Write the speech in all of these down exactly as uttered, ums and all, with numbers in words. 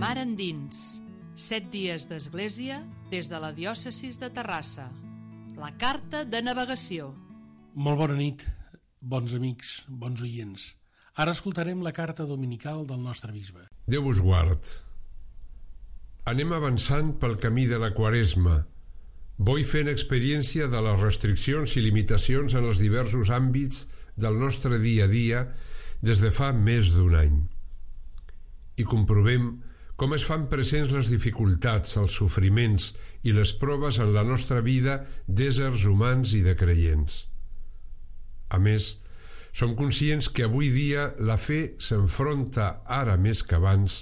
Mar endins, set dies d'església des de la diòcesi de Terrassa. La carta de navegació. Molt bona nit, bons amics, bons oients. Ara escoltarem la carta dominical del nostre bisbe. Déu vos guard. Anem avançant pel camí de la Quaresma, boi fent experiència de les restriccions i limitacions en els diversos àmbits del nostre dia a dia des de fa més d'un any. I comprovem com es fan presents les dificultats, els sofriments i les proves en la nostra vida d'éssers humans i de creients. A més, som conscients que avui dia la fe s'enfronta, ara més que abans,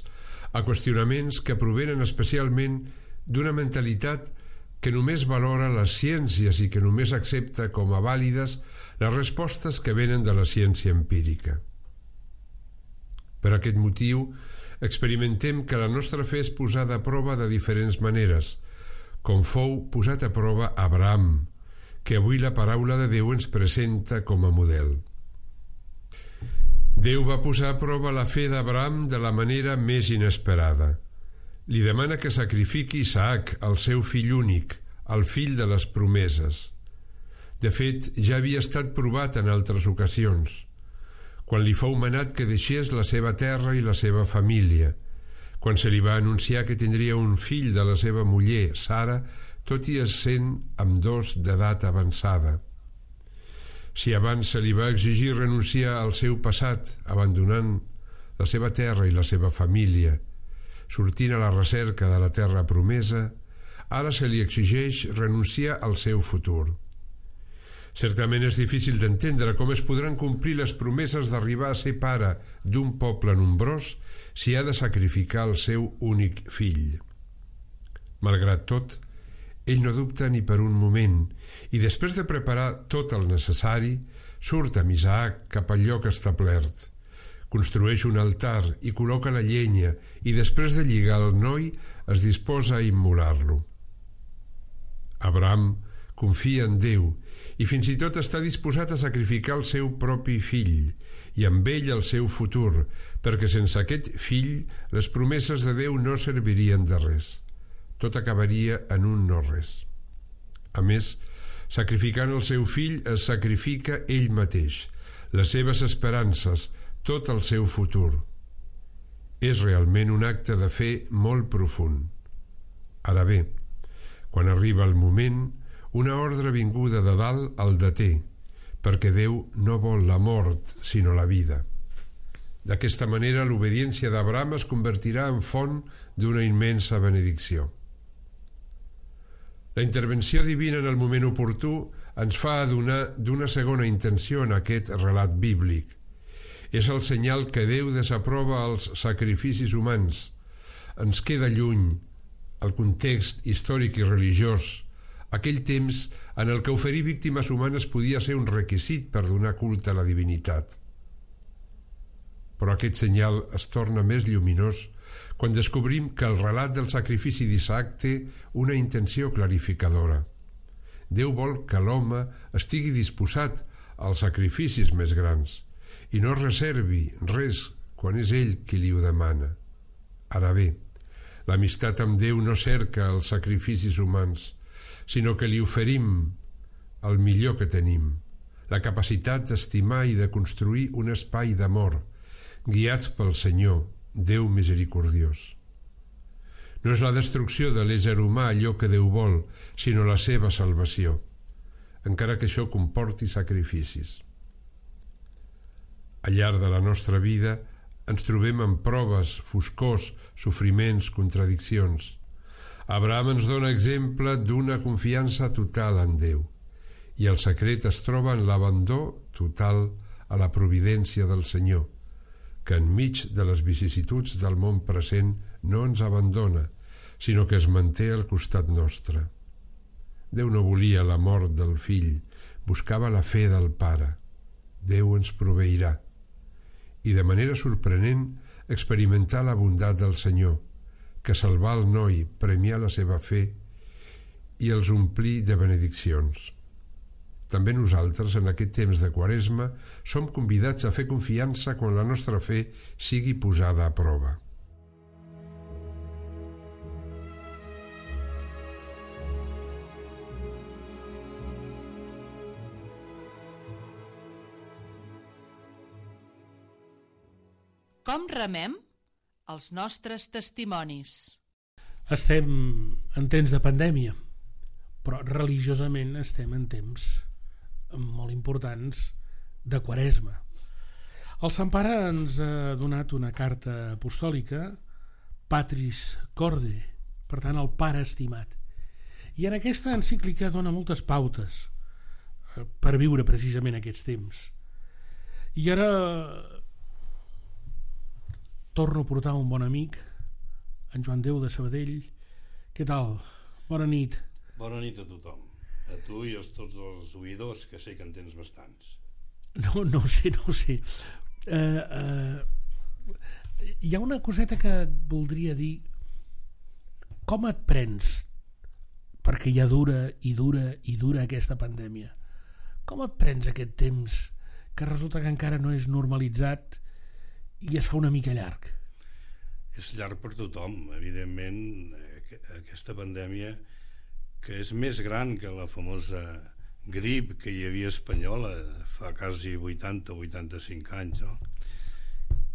a qüestionaments que provenen especialment d'una mentalitat que només valora les ciències i que només accepta com a vàlides les respostes que venen de la ciència empírica. Per aquest motiu, experimentem que la nostra fe és posada a prova de diferents maneres, com fou posat a prova Abraham, que avui la paraula de Déu ens presenta com a model. Déu va posar a prova la fe d'Abraham de la manera més inesperada. Li demana que sacrifiqui Isaac, el seu fill únic, el fill de les promeses. De fet, ja havia estat provat en altres ocasions, quan li fou manat que deixés la seva terra i la seva família, quan se li va anunciar que tindria un fill de la seva muller, Sara, tot i essent ambdós d'edat avançada. Si abans se li va exigir renunciar al seu passat, abandonant la seva terra i la seva família, sortint a la recerca de la terra promesa, ara se li exigeix renunciar al seu futur. Certament és difícil d'entendre com es podran complir les promeses d'arribar a ser pare d'un poble nombrós si ha de sacrificar el seu únic fill. Malgrat tot, ell no dubta ni per un moment i després de preparar tot el necessari, surt amb Isaac cap al lloc establert, construeix un altar i col·loca la llenya i després de lligar el noi es disposa a immolar-lo. Abraham confia en Déu i fins i tot està disposat a sacrificar el seu propi fill i amb ell el seu futur, perquè sense aquest fill les promeses de Déu no servirien de res. Tot acabaria en un no-res. A més, sacrificant el seu fill es sacrifica ell mateix, les seves esperances, tot el seu futur. És realment un acte de fe molt profund. Ara bé, quan arriba el moment, una ordre vinguda de dalt el deté, perquè Déu no vol la mort, sinó la vida. D'aquesta manera, l'obediència d'Abraham es convertirà en font d'una immensa benedicció. La intervenció divina en el moment oportú ens fa adonar d'una segona intenció en aquest relat bíblic. És el senyal que Déu desaprova els sacrificis humans. Ens queda lluny el context històric i religiós, aquell temps en el que oferir víctimes humanes podia ser un requisit per donar culte a la divinitat. Però aquest senyal es torna més lluminós quan descobrim que el relat del sacrifici d'Isaac té una intenció clarificadora. Déu vol que l'home estigui disposat als sacrificis més grans i no reservi res quan és ell qui li ho demana. Ara bé, l'amistat amb Déu no cerca els sacrificis humans, sinó que li oferim el millor que tenim, la capacitat d'estimar i de construir un espai d'amor, guiats pel Senyor, Déu misericordiós. No és la destrucció de l'ésser humà allò que Déu vol, sinó la seva salvació, encara que això comporti sacrificis. Al llarg de la nostra vida ens trobem amb proves, foscors, sofriments, contradiccions. Abraham ens dona exemple d'una confiança total en Déu i el secret es troba en l'abandó total a la providència del Senyor, que enmig de les vicissituds del món present no ens abandona, sinó que es manté al costat nostre. Déu no volia la mort del fill, buscava la fe del pare. Déu ens proveirà. I de manera sorprenent experimentar la bondat del Senyor, que salvar el noi, premiar la seva fe i els omplir de benediccions. També nosaltres, en aquest temps de Quaresma, som convidats a fer confiança quan la nostra fe sigui posada a prova. com remem els nostres testimonis. Estem en temps de pandèmia, però religiosament estem en temps molt importants de Quaresma. El Sant Pare ens ha donat una carta apostòlica, Patris Corde, per tant, el Pare estimat. I en aquesta encíclica dona moltes pautes per viure precisament aquests temps. I ara torno a portar un bon amic, en Joan Déu de Sabadell. Què tal? Bona nit. Bona nit a tothom, a tu i a tots els oïdors, que sé que en tens bastants. No, no ho sé, no ho sé. Uh, uh, hi ha una coseta que et voldria dir. Com et prens? Perquè ja dura i dura i dura aquesta pandèmia. Com et prens aquest temps que resulta que encara no és normalitzat i es fa una mica llarg? És llarg per tothom, evidentment. Aquesta pandèmia, que és més gran que la famosa grip que hi havia espanyola fa quasi vuitanta o vuitanta-cinc anys, no?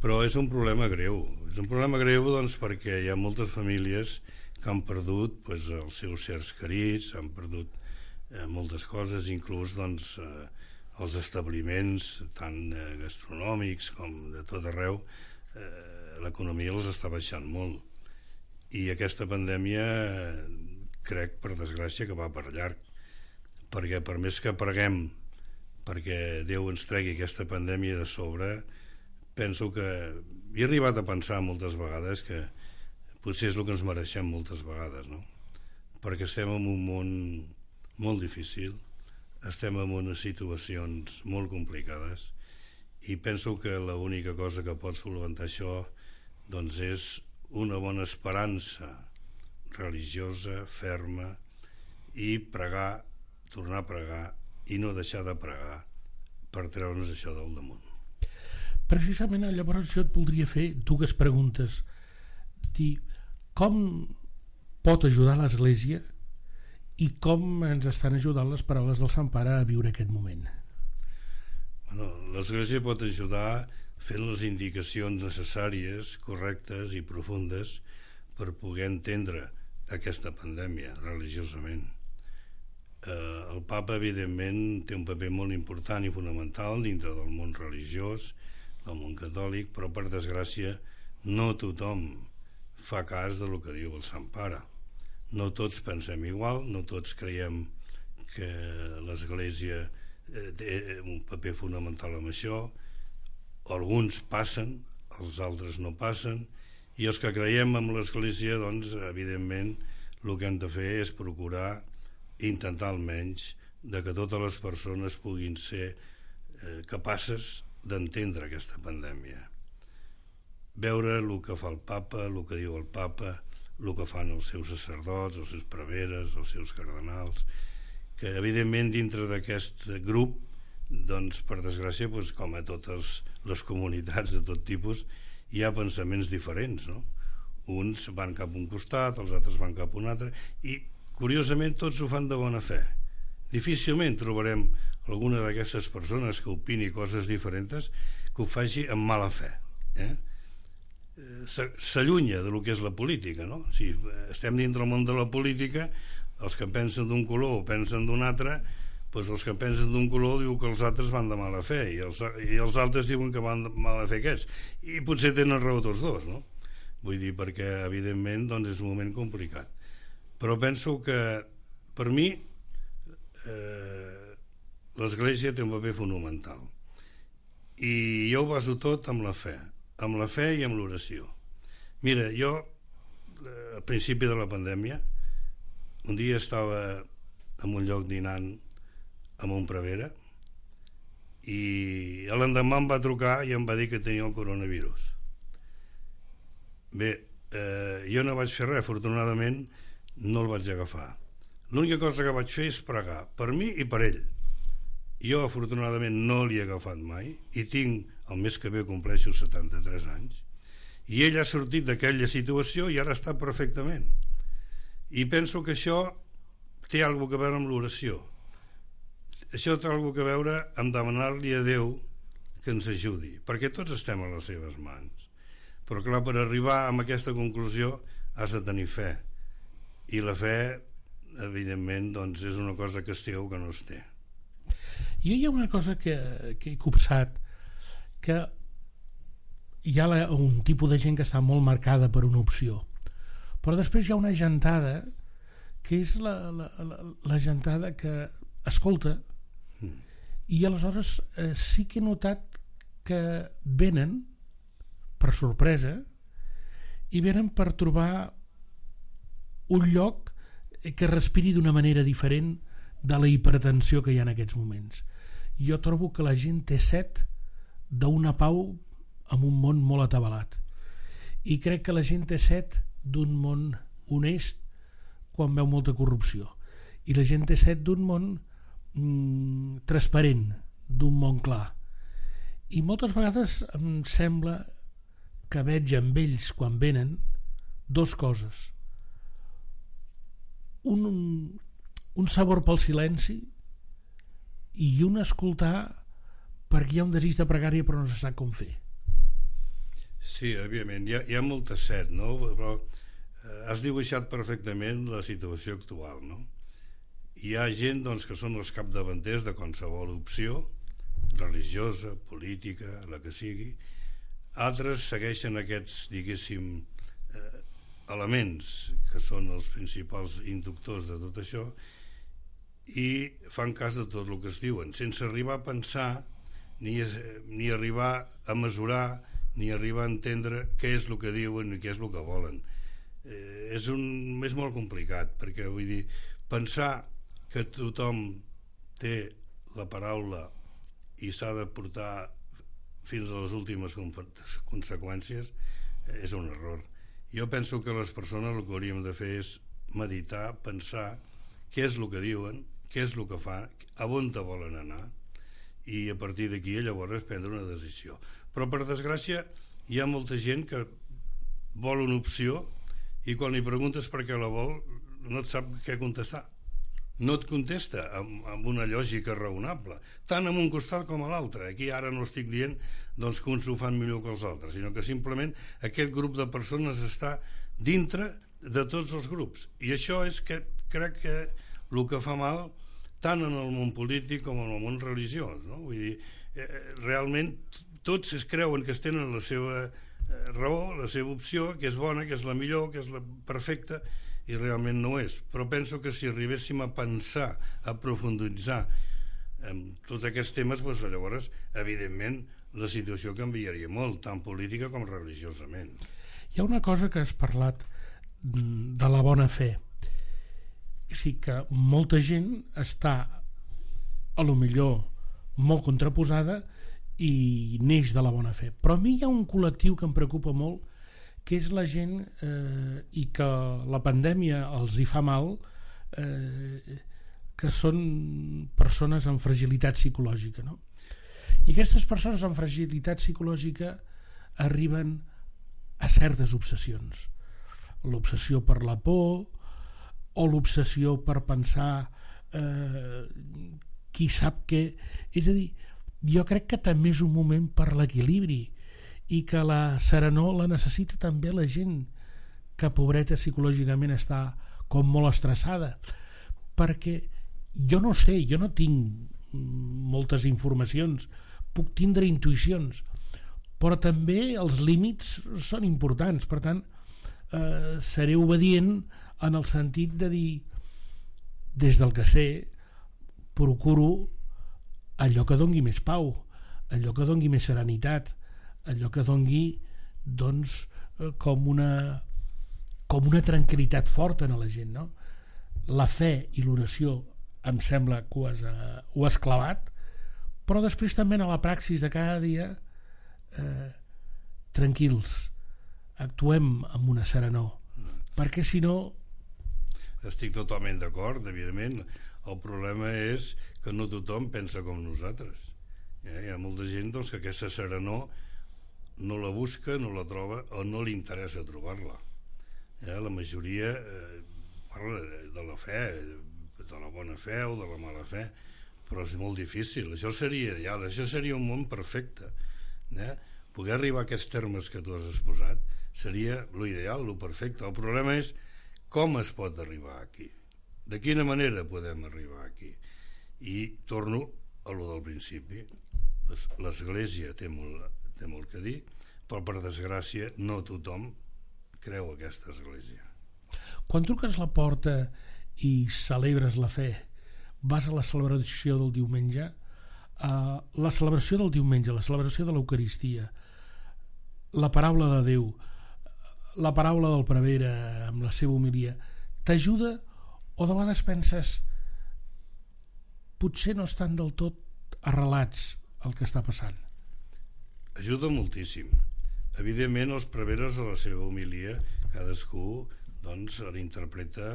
Però és un problema greu. És un problema greu doncs, perquè hi ha moltes famílies que han perdut pues, els seus sers querits, han perdut eh, moltes coses, inclús doncs, eh, els establiments tant eh, gastronòmics com de tot arreu, eh, l'economia els està baixant molt. I aquesta pandèmia eh, crec, per desgràcia, que va per llarg, perquè per més que preguem perquè Déu ens tregui aquesta pandèmia de sobre, penso que he arribat a pensar moltes vegades que potser és el que ens mereixem moltes vegades, no? Perquè estem en un món molt difícil, estem en unes situacions molt complicades i penso que l'única cosa que pot solventar això doncs és una bona esperança religiosa, ferma, i pregar, tornar a pregar i no deixar de pregar per treure'ns això del damunt. Precisament llavors jo et voldria fer dues preguntes. Dir, com pot ajudar l'Església i com ens estan ajudant les paraules del Sant Pare a viure aquest moment? Bueno, l'Església pot ajudar fent les indicacions necessàries, correctes i profundes per poder entendre aquesta pandèmia religiosament. Eh, el Papa, evidentment, té un paper molt important i fonamental dintre del món religiós, del món catòlic, però per desgràcia no tothom fa cas del que diu el Sant Pare. No tots pensem igual, no tots creiem que l'Església té un paper fonamental en això. Alguns passen, els altres no passen, i els que creiem en l'Església, doncs, evidentment, el que hem de fer és procurar, intentar almenys, de que totes les persones puguin ser eh, capaces d'entendre aquesta pandèmia. Veure el que fa el Papa, el que diu el Papa, el que fan els seus sacerdots, els seus preveres, els seus cardenals, que evidentment dintre d'aquest grup, doncs per desgràcia, doncs, com a totes les comunitats de tot tipus, hi ha pensaments diferents, no? Uns van cap a un costat, els altres van cap a un altre, i curiosament tots ho fan de bona fe. Difícilment trobarem alguna d'aquestes persones que opini coses diferents que ho faci amb mala fe, eh? S'allunya de lo que és la política, no? Si estem dintre del món de la política, els que pensen d'un color o pensen d'un altre, doncs els que pensen d'un color diuen que els altres van de mala fe i els, i els altres diuen que van de mala fe aquests, i potser tenen raó tots dos, no? Vull dir, perquè evidentment doncs és un moment complicat, però penso que per mi eh, l'Església té un paper fonamental i jo ho baso tot amb la fe, amb la fe i amb l'oració. Mira, jo al principi de la pandèmia un dia estava en un lloc dinant amb un prevere i l'endemà em va trucar i em va dir que tenia el coronavirus. Bé, eh, jo no vaig fer res, afortunadament no el vaig agafar. L'única cosa que vaig fer és pregar per mi i per ell. Jo afortunadament no l'he agafat mai i tinc, el mes que ve compleixo setanta-tres anys, i ell ha sortit d'aquella situació i ara està perfectament. I penso que això té alguna cosa a veure amb l'oració. Això té alguna cosa a veure amb demanar-li a Déu que ens ajudi, perquè tots estem a les seves mans. Però clar, per arribar a aquesta conclusió has de tenir fe, i la fe evidentment doncs, és una cosa que es té o que no es té. Jo hi ha una cosa que, que he copsat, que hi ha la, un tipus de gent que està molt marcada per una opció, però després hi ha una gentada que és la, la, la, la gentada que escolta, mm. i aleshores eh, sí que he notat que venen per sorpresa i venen per trobar un lloc que respiri d'una manera diferent de la hipertensió que hi ha en aquests moments. Jo trobo que la gent té set d'una pau en un món molt atabalat, i crec que la gent té set d'un món honest quan veu molta corrupció, i la gent té set d'un món mm, transparent, d'un món clar. I moltes vegades em sembla que veig amb ells quan venen dos coses: un, un sabor pel silenci i un escoltar perquè hi ha un desig de pregària però no se sap com fer. Sí, òbviament, hi ha, hi ha molta set, no? Però eh, has dibuixat perfectament la situació actual, no? Hi ha gent doncs, que són els capdavanters de qualsevol opció religiosa, política, la que sigui. Altres segueixen aquests, diguéssim, eh, elements que són els principals inductors de tot això i fan cas de tot el que es diuen, sense arribar a pensar ni, ni arribar a mesurar ni arribar a entendre què és el que diuen i què és el que volen. Eh, és, un, és molt complicat, perquè vull dir, pensar que tothom té la paraula i s'ha de portar fins a les últimes conseqüències és un error. Jo penso que les persones el que hauríem de fer és meditar, pensar què és el que diuen, què és el que fan, a on te volen anar, i a partir d'aquí llavors prendre una decisió. Però per desgràcia hi ha molta gent que vol una opció i quan li preguntes per què la vol no et sap què contestar, no et contesta amb, amb una lògica raonable, tant en un costat com a l'altre. Aquí ara no estic dient doncs, que uns ho fan millor que els altres, sinó que simplement aquest grup de persones està dintre de tots els grups, i això és que crec que el que fa mal tant en el món polític com en el món religiós, no? Vull dir, eh, realment tots es creuen que es tenen la seva eh, raó, la seva opció, que és bona, que és la millor, que és la perfecta, i realment no és. Però penso que si arribéssim a pensar, a profunditzar en tots aquests temes, doncs llavors, evidentment, la situació canviaria molt, tant política com religiosament. Hi ha una cosa que has parlat de la bona fe. És a dir, que molta gent està, a lo millor, molt contraposada i neix de la bona fe. Però a mi hi ha un col·lectiu que em preocupa molt, que és la gent eh, i que la pandèmia els hi fa mal, eh, que són persones amb fragilitat psicològica, no? I aquestes persones amb fragilitat psicològica arriben a certes obsessions. L'obsessió per la por o l'obsessió per pensar eh, qui sap què. És a dir, jo crec que també és un moment per l'equilibri i que la serenor la necessita també la gent que, pobreta, psicològicament està com molt estressada, perquè jo no sé, jo no tinc moltes informacions, puc tindre intuïcions, però també els límits són importants. Per tant, eh, seré obedient en el sentit de dir, des del que sé, procuro allò que dongui més pau, allò que dongui més serenitat, allò que dongui doncs, com una com una tranquil·litat forta en la gent, no? La fe i l'oració em sembla que ho has, uh, ho has clavat, però després també a la praxis de cada dia eh, tranquils, actuem amb una serenor, perquè si no... Estic totalment d'acord, evidentment. El problema és que no tothom pensa com nosaltres. Eh? Hi ha molta gent doncs, que aquesta serenor no la busca, no la troba o no li interessa trobar-la. Eh? La majoria eh, parla de la fe, de la bona fe o de la mala fe, però és molt difícil. Això seria ideal, això seria un món perfecte. Eh? poder arribar a aquests termes que tu has exposat seria l'ideal, lo perfecte. El problema és com es pot arribar aquí, de quina manera podem arribar aquí. I torno a lo del principi. Pues l'Església té molt, té molt que dir, però per desgràcia no tothom creu aquesta Església. Quan truques la porta i celebres la fe, vas a la celebració del diumenge, uh, la celebració del diumenge, la celebració de l'Eucaristia, la paraula de Déu, la paraula del prevere amb la seva homilia, t'ajuda o de vegades penses potser no estan del tot arrelats el que està passant? Ajuda moltíssim. Evidentment, els preveres de la seva homilia, cadascú doncs l'interpreta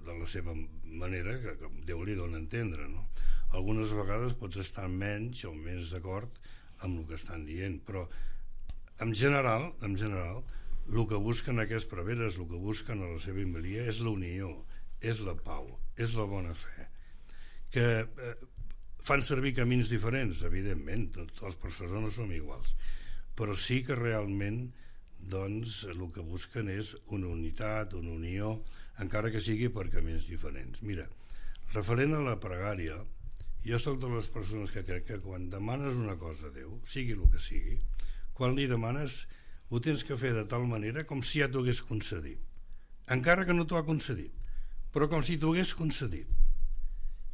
de la seva manera que, que Déu li dona a entendre, no? Algunes vegades pots estar menys o més d'acord amb el que estan dient, però en general, en general, el que busquen aquests preveres, el que busquen a la seva homilia és la unió, és la pau, és la bona fe, que eh, fan servir camins diferents, evidentment, totes les persones no som iguals, però sí que realment doncs el que busquen és una unitat, una unió, encara que sigui per camins diferents. Mira, referent a la pregària, jo soc de les persones que crec que quan demanes una cosa a Déu, sigui el que sigui, quan li demanes ho tens que fer de tal manera com si ja t'ho hagués concedit, encara que no t'ho ha concedit, però com si t'ho hagués concedit.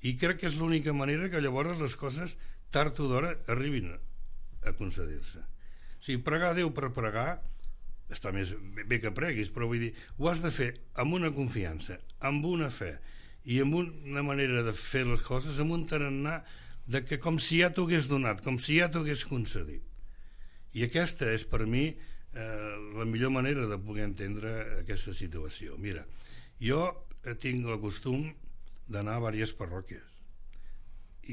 I crec que és l'única manera que llavors les coses tard o d'hora arribin a concedir-se. O sigui, pregar a Déu per pregar està més bé que preguis, però vull dir, ho has de fer amb una confiança, amb una fe i amb una manera de fer les coses, amb un tarannà de que com si ja t'ho hagués donat, com si ja t'ho hagués concedit. I aquesta és per mi eh, la millor manera de poder entendre aquesta situació. Mira, jo tinc el costum d'anar a diverses parròquies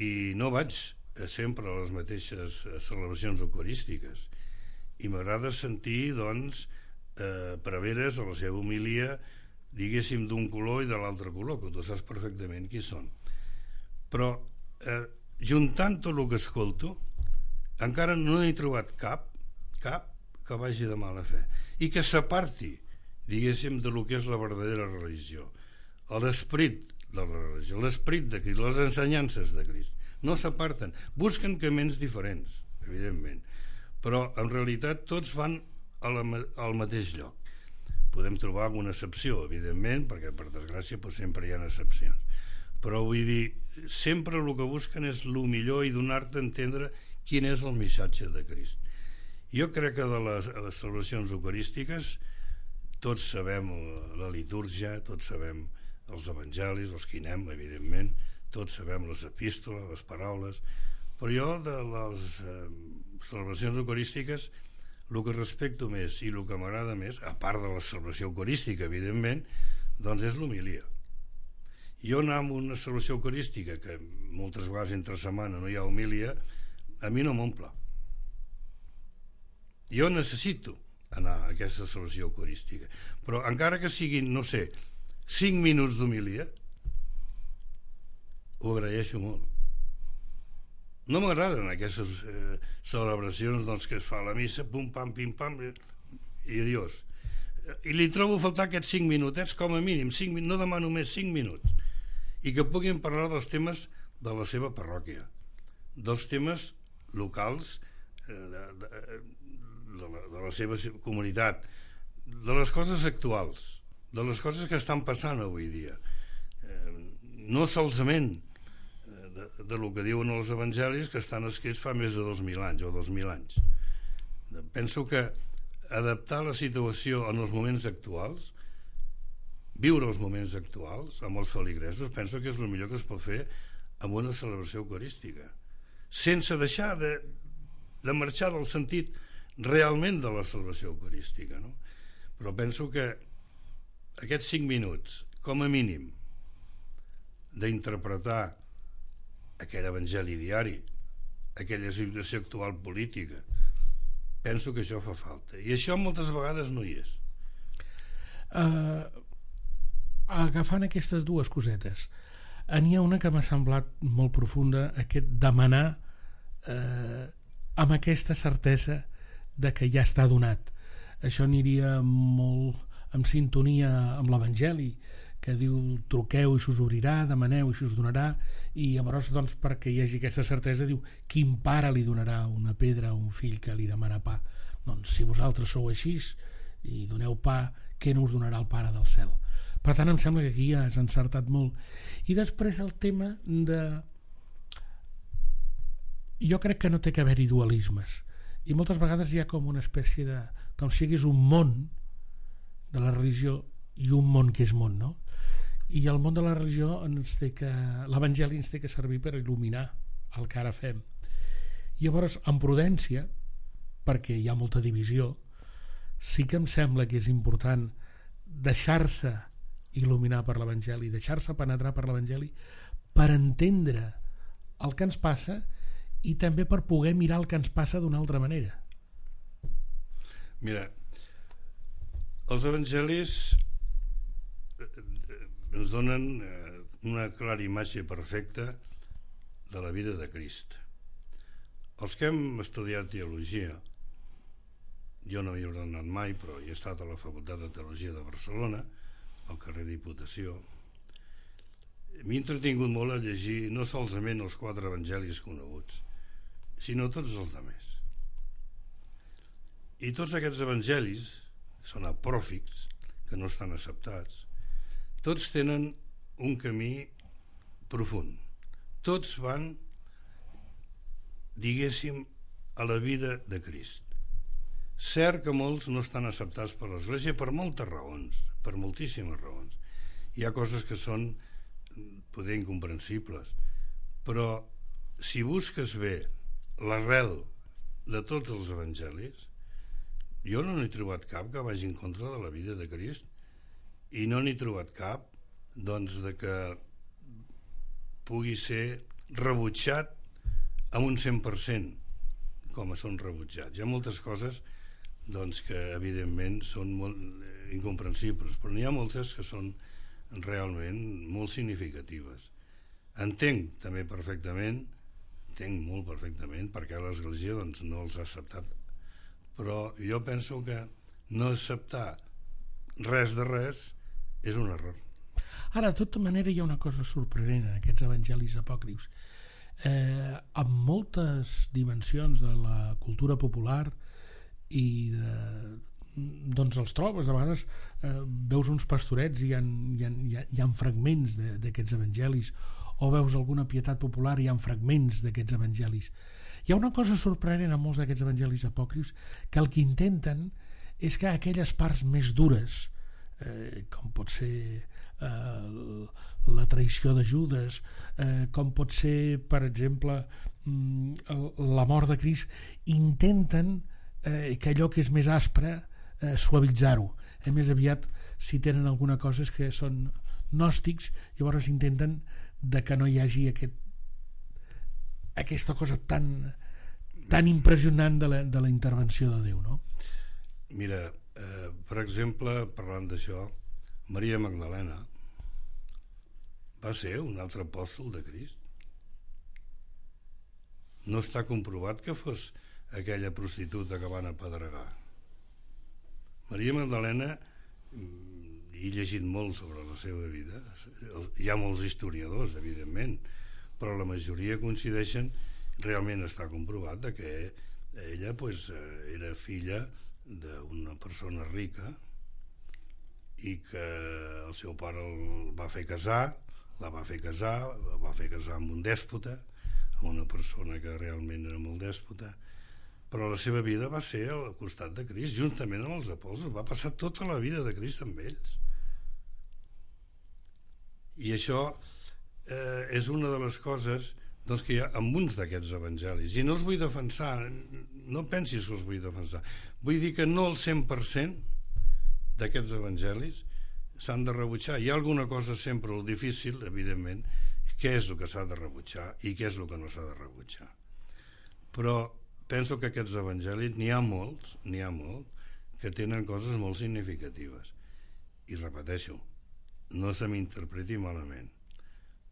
i no vaig sempre a les mateixes celebracions eucarístiques i m'agrada sentir doncs eh, preveres a la seva homilia, diguéssim, d'un color i de l'altre color, que tu saps perfectament qui són, però eh, juntant tot el que escolto encara no he trobat cap cap que vagi de mala fe i que s'aparti, diguéssim, de lo que és la verdadera religió, l'esperit de la religió, l'esperit de Crist, les ensenyances de Crist. No s'aparten, busquen camins diferents, evidentment, però en realitat tots van a la, al mateix lloc. Podem trobar alguna excepció, evidentment, perquè per desgràcia doncs, sempre hi ha excepcions, però vull dir, sempre el que busquen és el millor i donar-te a entendre quin és el missatge de Crist. Jo crec que de les, les celebracions eucarístiques tots sabem la litúrgia, tots sabem els evangelis, els que hi anem, evidentment, tots sabem les epístoles, les paraules, però jo de les eh, celebracions eucarístiques el que respecto més i el que m'agrada més, a part de la celebració eucarística, evidentment, doncs és l'homilia. Jo anar a una celebració eucarística que moltes vegades entre setmana no hi ha homilia, a mi no m'omple. Jo necessito anar a aquesta celebració eucarística, però encara que siguin, no sé, cinc minuts d'homilia, ho agraeixo molt. No m'agraden aquestes eh, celebracions doncs, que es fa a la missa, pum, pam, pim, pam, i adiós. I li trobo a faltar aquests cinc minutets, com a mínim, cinc, no demano més cinc minuts, i que puguin parlar dels temes de la seva parròquia, dels temes locals eh, de, de, de, la, de la seva comunitat, de les coses actuals, de les coses que estan passant avui dia, eh, no solament de, de lo que diuen els evangelis que estan escrits fa més de dos mil anys o dos mil anys. Penso que adaptar la situació en els moments actuals, viure els moments actuals amb els feligresos, penso que és el millor que es pot fer amb una celebració eucarística, sense deixar de, de marxar del sentit realment de la celebració eucarística, no? Però penso que aquests cinc minuts, com a mínim, d'interpretar aquell evangeli diari, aquella situació actual política, penso que això fa falta. I això moltes vegades no hi és. Uh, agafant aquestes dues cosetes, n'hi ha una que m'ha semblat molt profunda, aquest demanar uh, amb aquesta certesa de que ja està donat. Això aniria molt en sintonia amb l'Evangeli, que diu truqueu i s'us obrirà, demaneu i s'us donarà, i llavors doncs, perquè hi hagi aquesta certesa diu quin pare li donarà una pedra a un fill que li demana pa? Doncs si vosaltres sou així i doneu pa, què no us donarà el Pare del cel? Per tant, em sembla que aquí ja has encertat molt. I després el tema de... Jo crec que no té que haver-hi dualismes, i moltes vegades hi ha com una espècie de... com si hi hagués un món de la religió i un món que és món, no? I el món de la religió ens té que... l'Evangeli ens té que servir per il·luminar el que ara fem. I llavors, amb prudència, perquè hi ha molta divisió, sí que em sembla que és important deixar-se il·luminar per l'Evangeli, deixar-se penetrar per l'Evangeli per entendre el que ens passa i també per poder mirar el que ens passa d'una altra manera. Mira, els evangelis ens donen una clara imatge perfecta de la vida de Crist. Els que hem estudiat teologia, jo no hi he ordenat mai, però he estat a la Facultat de Teologia de Barcelona, al carrer Diputació, m'he entretingut molt a llegir no solament els quatre evangelis coneguts, sinó tots els altres. I tots aquests evangelis, que són apòcrifs, que no estan acceptats, tots tenen un camí profund. Tots van, diguéssim, a la vida de Crist. Cert que molts no estan acceptats per l'Església per moltes raons, per moltíssimes raons. Hi ha coses que són poder incomprensibles, però si busques bé l'arrel de tots els evangelis, jo no n'he trobat cap que vagi en contra de la vida de Crist, i no n'he trobat cap doncs de que pugui ser rebutjat amb un cent per cent com són rebutjats. Hi ha moltes coses doncs, que evidentment són molt incomprensibles, però n'hi ha moltes que són realment molt significatives. Entenc també perfectament, entenc molt perfectament perquè l'Església doncs, no els ha acceptat, però jo penso que no acceptar res de res és un error. Ara, de tota manera, hi ha una cosa sorprenent en aquests evangelis apòcrifs. Eh, amb moltes dimensions de la cultura popular i de, doncs els trobes, de vegades eh, veus uns pastorets i hi ha, hi ha, hi ha, hi ha fragments d'aquests evangelis, o veus alguna pietat popular i hi ha fragments d'aquests evangelis. Hi ha una cosa sorprenent en molts d'aquests evangelis apòcrifs, que el que intenten és que aquelles parts més dures, eh, com pot ser eh, la traïció de Judes, eh, com pot ser, per exemple, la mort de Crist, intenten eh, que allò que és més aspre eh, suavitzar-ho. A més aviat, si tenen alguna cosa és que són gnòstics, llavors intenten de que no hi hagi aquest, aquesta cosa tan, tan impressionant de la, de la intervenció de Déu, no? Mira, eh, per exemple, parlant d'això, Maria Magdalena va ser un altre apòstol de Crist. No està comprovat que fos aquella prostituta que van apedregar. Maria Magdalena, he llegit molt sobre la seva vida, hi ha molts historiadors, evidentment, però la majoria coincideixen, realment està comprovat que ella pues, era filla d'una persona rica i que el seu pare el va fer casar, la va fer casar, la va fer casar amb un dèspota, amb una persona que realment era molt dèspota, però la seva vida va ser al costat de Crist, juntament amb els apòstols, va passar tota la vida de Crist amb ells. I això eh, és una de les coses doncs, que hi ha en uns d'aquests evangelis, i no els vull defensar, no pensis que els vull defensar, vull dir que no el cent per cent d'aquests evangelis s'han de rebutjar. Hi ha alguna cosa sempre el difícil, evidentment, què és el que s'ha de rebutjar i què és el que no s'ha de rebutjar. Però penso que aquests evangelis n'hi ha molts, n'hi ha molt, que tenen coses molt significatives. I repeteixo, no se m'interpreti malament.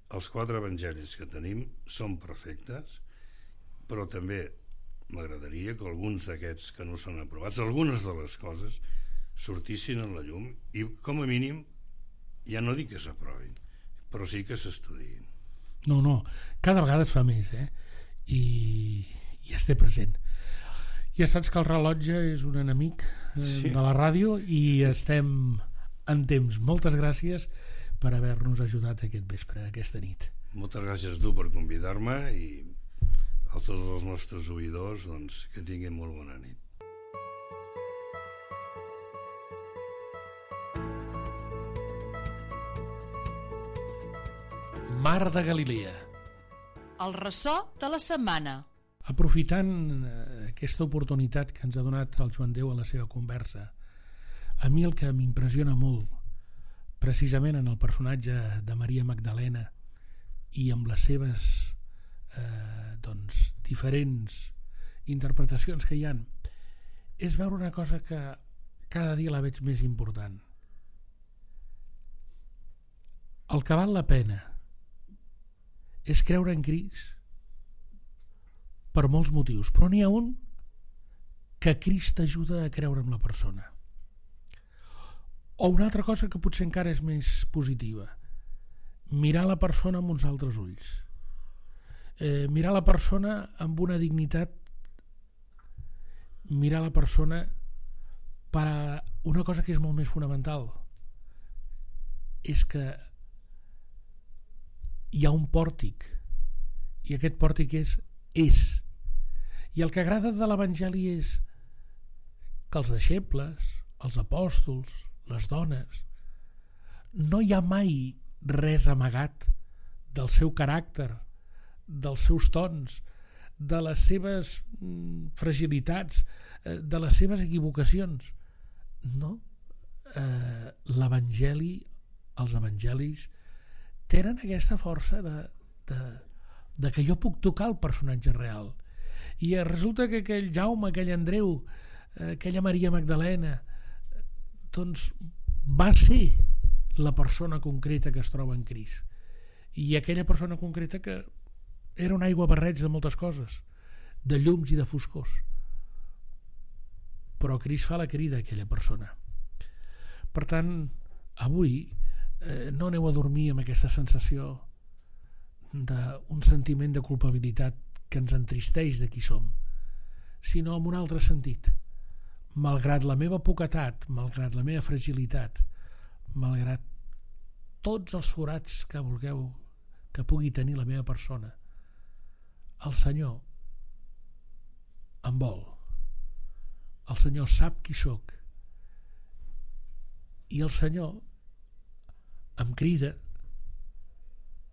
Els quatre evangelis que tenim són perfectes, però també m'agradaria que alguns d'aquests que no són aprovats, algunes de les coses, sortissin a la llum i, com a mínim, ja no dic que s'aprovin, però sí que s'estudiïn. No, no, cada vegada es fa més, eh? I, i es té present. Ja saps que el rellotge és un enemic eh, sí. de la ràdio i estem en temps. Moltes gràcies per haver-nos ajudat aquest vespre, aquesta nit. Moltes gràcies tu per convidar-me i a tots els nostres oïdors, doncs, que tinguin molt bona nit. Mar de Galilea. El ressò de la setmana. Aprofitant aquesta oportunitat que ens ha donat el Joan Déu a la seva conversa, a mi el que m'impressiona molt, precisament en el personatge de Maria Magdalena i amb les seves eh, doncs, diferents interpretacions que hi han, és veure una cosa que cada dia la veig més important. El que val la pena és creure en Crist per molts motius, però n'hi ha un que Crist ajuda a creure en la persona. O una altra cosa que potser encara és més positiva, mirar la persona amb uns altres ulls, eh, mirar la persona amb una dignitat, mirar la persona per a una cosa que és molt més fonamental, és que hi ha un pòrtic i aquest pòrtic és és i el que agrada de l'Evangeli és que els deixebles, els apòstols, les dones, no hi ha mai res amagat del seu caràcter, dels seus tons, de les seves fragilitats, de les seves equivocacions. No, eh, l'Evangeli, els evangelis tenen aquesta força de, de, de que jo puc tocar el personatge real. I resulta que aquell Jaume, aquell Andreu, aquella Maria Magdalena, doncs va ser la persona concreta que es troba en Crist. I aquella persona concreta que era un aigua barreig de moltes coses, de llums i de foscors. Però Crist fa la crida a aquella persona. Per tant, avui eh, no aneu a dormir amb aquesta sensació d'un sentiment de culpabilitat que ens entristeix de qui som, sinó amb un altre sentit. Malgrat la meva poquetat, malgrat la meva fragilitat, malgrat tots els forats que vulgueu que pugui tenir la meva persona, el Senyor em vol. El Senyor sap qui sóc i el Senyor em crida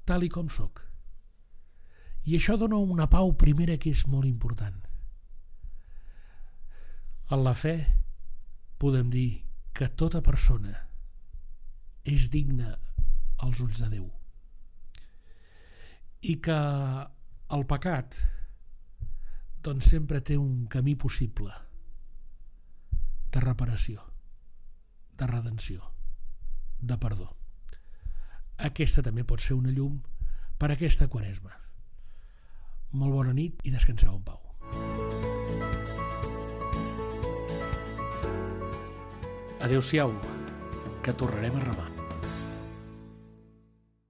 tal i com sóc. I això dona una pau primera que és molt important. En la fe podem dir que tota persona és digna als ulls de Déu i que el pecat doncs sempre té un camí possible de reparació, de redenció, de perdó. Aquesta també pot ser una llum per a aquesta Quaresma. Molt bona nit i descanseu en pau. Adéu-siau, que tornarem a remar.